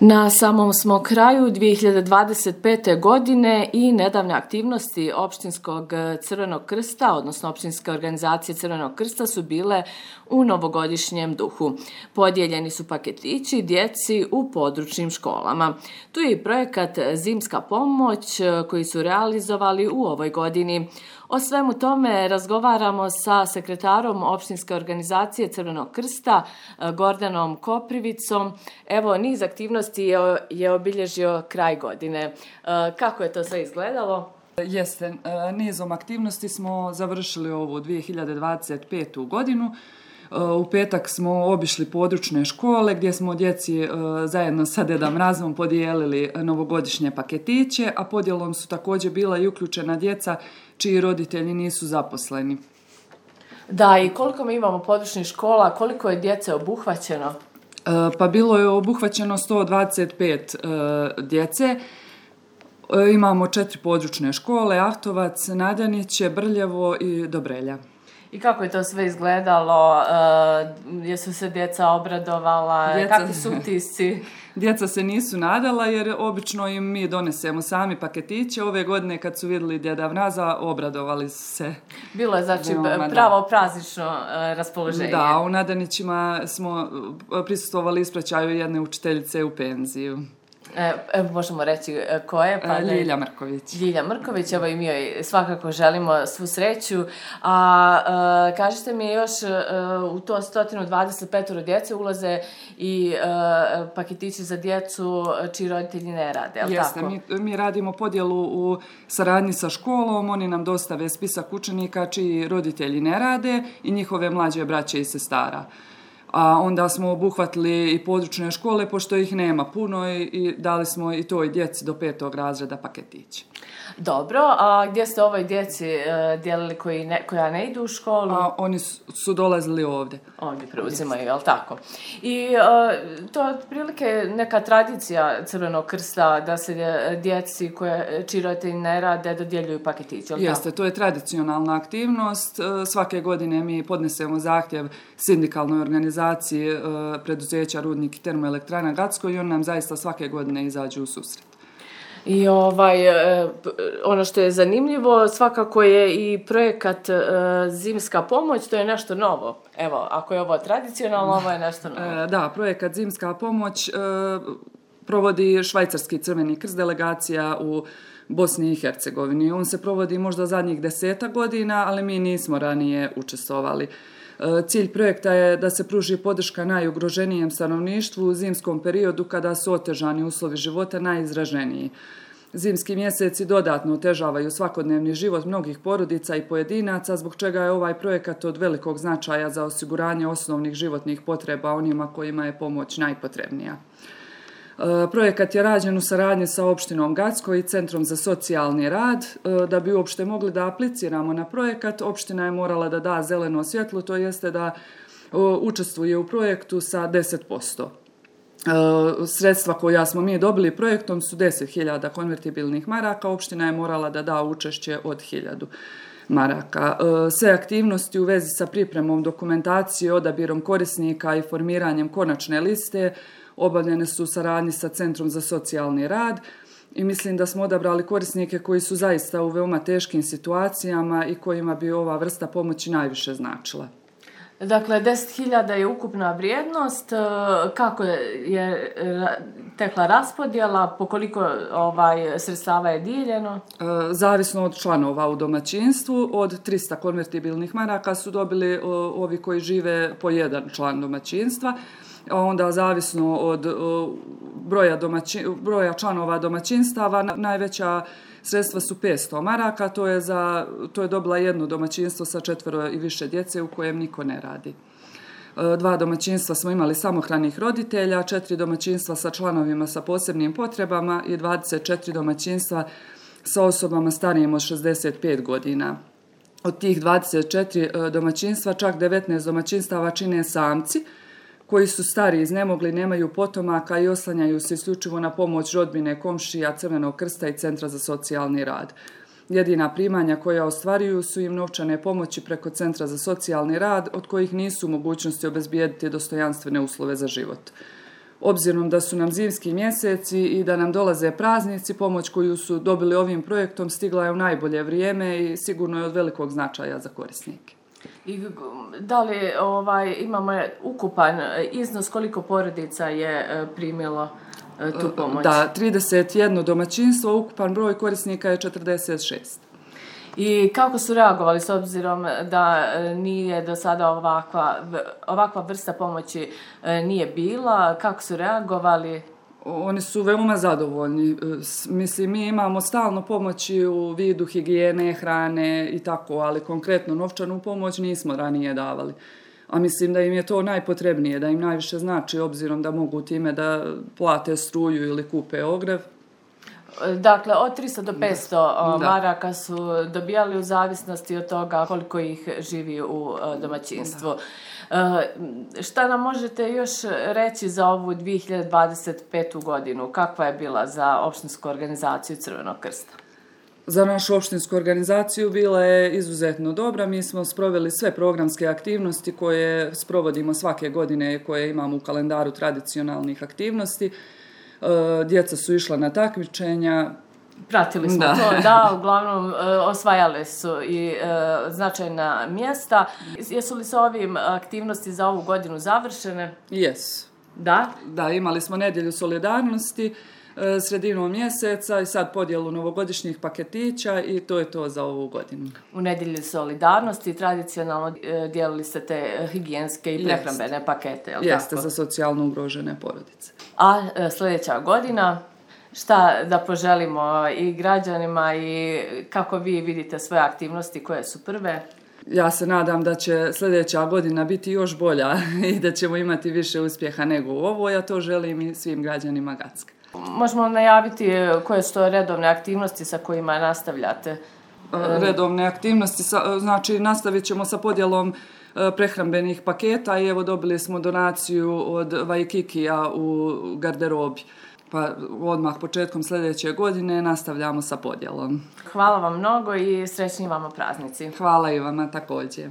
Na samom smo kraju 2025. godine i nedavne aktivnosti Opštinskog Crvenog krsta, odnosno Opštinske organizacije Crvenog krsta su bile u novogodišnjem duhu. Podijeljeni su paketići djeci u područnim školama. Tu je i projekat Zimska pomoć koji su realizovali u ovoj godini. O svemu tome razgovaramo sa sekretarom Opštinske organizacije Crvenog krsta, Gordanom Koprivicom. Evo, niz aktivnosti je obilježio kraj godine. Kako je to sve izgledalo? Jeste, nizom aktivnosti smo završili ovu 2025. godinu. U petak smo obišli područne škole gdje smo djeci zajedno sa Deda Mrazom podijelili novogodišnje paketiće, a podjelom su također bila i uključena djeca čiji roditelji nisu zaposleni. Da, i koliko mi imamo područnih škola, koliko je djece obuhvaćeno? Pa bilo je obuhvaćeno 125 djece. Imamo 4 područne škole, Ahtovac, Nadjaniće, Brljevo i Dobrelja. I kako je to sve izgledalo? Jesu se djeca obradovala? Kakvi su utisci? Djeca se nisu nadala jer obično im mi donesemo sami paketiće. Ove godine kad su vidjeli Djeda Mraza, obradovali su se. Bilo je znači pravo praznično raspoloženje. Da, u Nadanićima smo prisustvovali ispraćaju jedne učiteljice u penziju. Možemo reći ko je? Ljilja Mrković. Ljilja Mrković, evo i mi joj svakako želimo svu sreću. A kažete mi još u to 125 djece ulaze i paketići za djecu čiji roditelji ne rade, je li Jeste, tako? mi radimo podjelu u saradnji sa školom, oni nam dostave spisak učenika čiji roditelji ne rade i njihove mlađe braće i sestara. A onda smo obuhvatili i područne škole, pošto ih nema puno i dali smo i toj djeci do 5. razreda paketiće. Dobro, a gdje ste ovoj djeci dijelili koja ne idu u školu? Oni su dolazili ovdje. Ovdje preuzimaju, je li tako? I to je otprilike neka tradicija Crvenog krsta da se djeci čiji roditelji ne rade dodjeljuju paketiće, je li tako? Jeste, to je tradicionalna aktivnost. Svake godine mi podnesemo zahtjev sindikalnoj organizaciji preduzeća Rudnik i termoelektrana Gacko i on nam zaista svake godine izađu u susret. I ono što je zanimljivo svakako je i projekat Zimska pomoć, to je nešto novo. Evo, ako je ovo tradicionalno, ovo je nešto novo. Da, projekat Zimska pomoć provodi Švajcarski Crveni krst delegacija u Bosni i Hercegovini. On se provodi možda zadnjih 10 godina, ali mi nismo ranije učestvovali. Cilj projekta je da se pruži podrška najugroženijem stanovništvu u zimskom periodu kada su otežani uslovi života najizraženiji. Zimski mjeseci dodatno otežavaju svakodnevni život mnogih porodica i pojedinaca, zbog čega je ovaj projekat od velikog značaja za osiguranje osnovnih životnih potreba onima kojima je pomoć najpotrebnija. Projekat je rađen u saradnji sa opštinom Gacko i Centrom za socijalni rad. Da bi uopšte mogli da apliciramo na projekat, opština je morala da da zeleno svjetlo, to jeste da učestvuje u projektu sa 10%. Sredstva koja smo mi dobili projektom su 10.000 konvertibilnih maraka, opština je morala da da učešće od 1.000 maraka. Sve aktivnosti u vezi sa pripremom dokumentacije, odabirom korisnika i formiranjem konačne liste obavljene su u saradnji sa Centrom za socijalni rad i mislim da smo odabrali korisnike koji su zaista u veoma teškim situacijama i kojima bi ova vrsta pomoći najviše značila. Dakle, 10.000 je ukupna vrijednost. Kako je tekla raspodjela? Po koliko sredstava je dijeljeno? Zavisno od članova u domaćinstvu. Od 300 konvertibilnih maraka su dobili ovi koji žive po jedan član domaćinstva. Onda zavisno od broja članova domaćinstava najveća sredstva su 500 maraka, to je dobila jedno domaćinstvo sa 4 i više djece u kojem niko ne radi. 2 domaćinstva smo imali samohranih roditelja, 4 domaćinstva sa članovima sa posebnim potrebama i 24 domaćinstva sa osobama starijim od 65 godina. Od tih 24 domaćinstva, čak 19 domaćinstava čine samci, koji su stari, iznemogli, nemaju potomaka i oslanjaju se isključivo na pomoć rodbine, komšija, Crvenog krsta i Centra za socijalni rad. Jedina primanja koja ostvaruju su im novčane pomoći preko Centra za socijalni rad, od kojih nisu u mogućnosti obezbijediti dostojanstvene uslove za život. obzirom da su nam zimski mjeseci i da nam dolaze praznici, pomoć koju su dobili ovim projektom stigla je u najbolje vrijeme i sigurno je od velikog značaja za korisnike. I da li imamo ukupan iznos koliko porodica je primilo tu pomoć? Da, 31 domaćinstvo, ukupan broj korisnika je 46. I kako su reagovali s obzirom da nije do sada ovakva vrsta pomoći nije bila? Kako su reagovali? Oni su veoma zadovoljni. Mislim, mi imamo stalno pomoći u vidu higijene, hrane i tako, ali konkretno novčanu pomoć nismo ranije davali. A mislim da im je to najpotrebnije, da im najviše znači, obzirom da mogu time da plate struju ili kupe ogrjev. Dakle, od 300 do 500 maraka su dobijali u zavisnosti od toga koliko ih živi u domaćinstvu. Šta nam možete još reći za ovu 2025. godinu? Kakva je bila za opštinsku organizaciju Crvenog krsta? Za našu opštinsku organizaciju bila je izuzetno dobra. Mi smo sproveli sve programske aktivnosti koje sprovodimo svake godine, koje imamo u kalendaru tradicionalnih aktivnosti. Djeca su išla na takmičenja. Pratili smo to, da, uglavnom osvajale su i značajna mjesta. Jesu li se ovim aktivnosti za ovu godinu završene? Jesu. Da? Da, imali smo nedjelju solidarnosti sredinom mjeseca i sad podjelu novogodišnjih paketića i to je to za ovu godinu. U nedjelju solidarnosti tradicionalno dijelili ste te higijenske i prehrambene pakete, je li tako? Jeste, za socijalno ugrožene porodice. A sljedeća godina, šta da poželimo i građanima i kako vi vidite svoje aktivnosti koje su prve? Ja se nadam da će sljedeća godina biti još bolja i da ćemo imati više uspjeha nego u ovoj, a to želim i svim građanima Gacka. Možemo najaviti koje su to redovne aktivnosti sa kojima nastavljate? Redovne aktivnosti, znači nastavit ćemo sa podjelom prehrambenih paketa i evo dobili smo donaciju od Vajkikija u garderobi. Pa odmah početkom sljedeće godine nastavljamo sa podjelom. Hvala vam mnogo i srećni vama praznici. Hvala i vama također.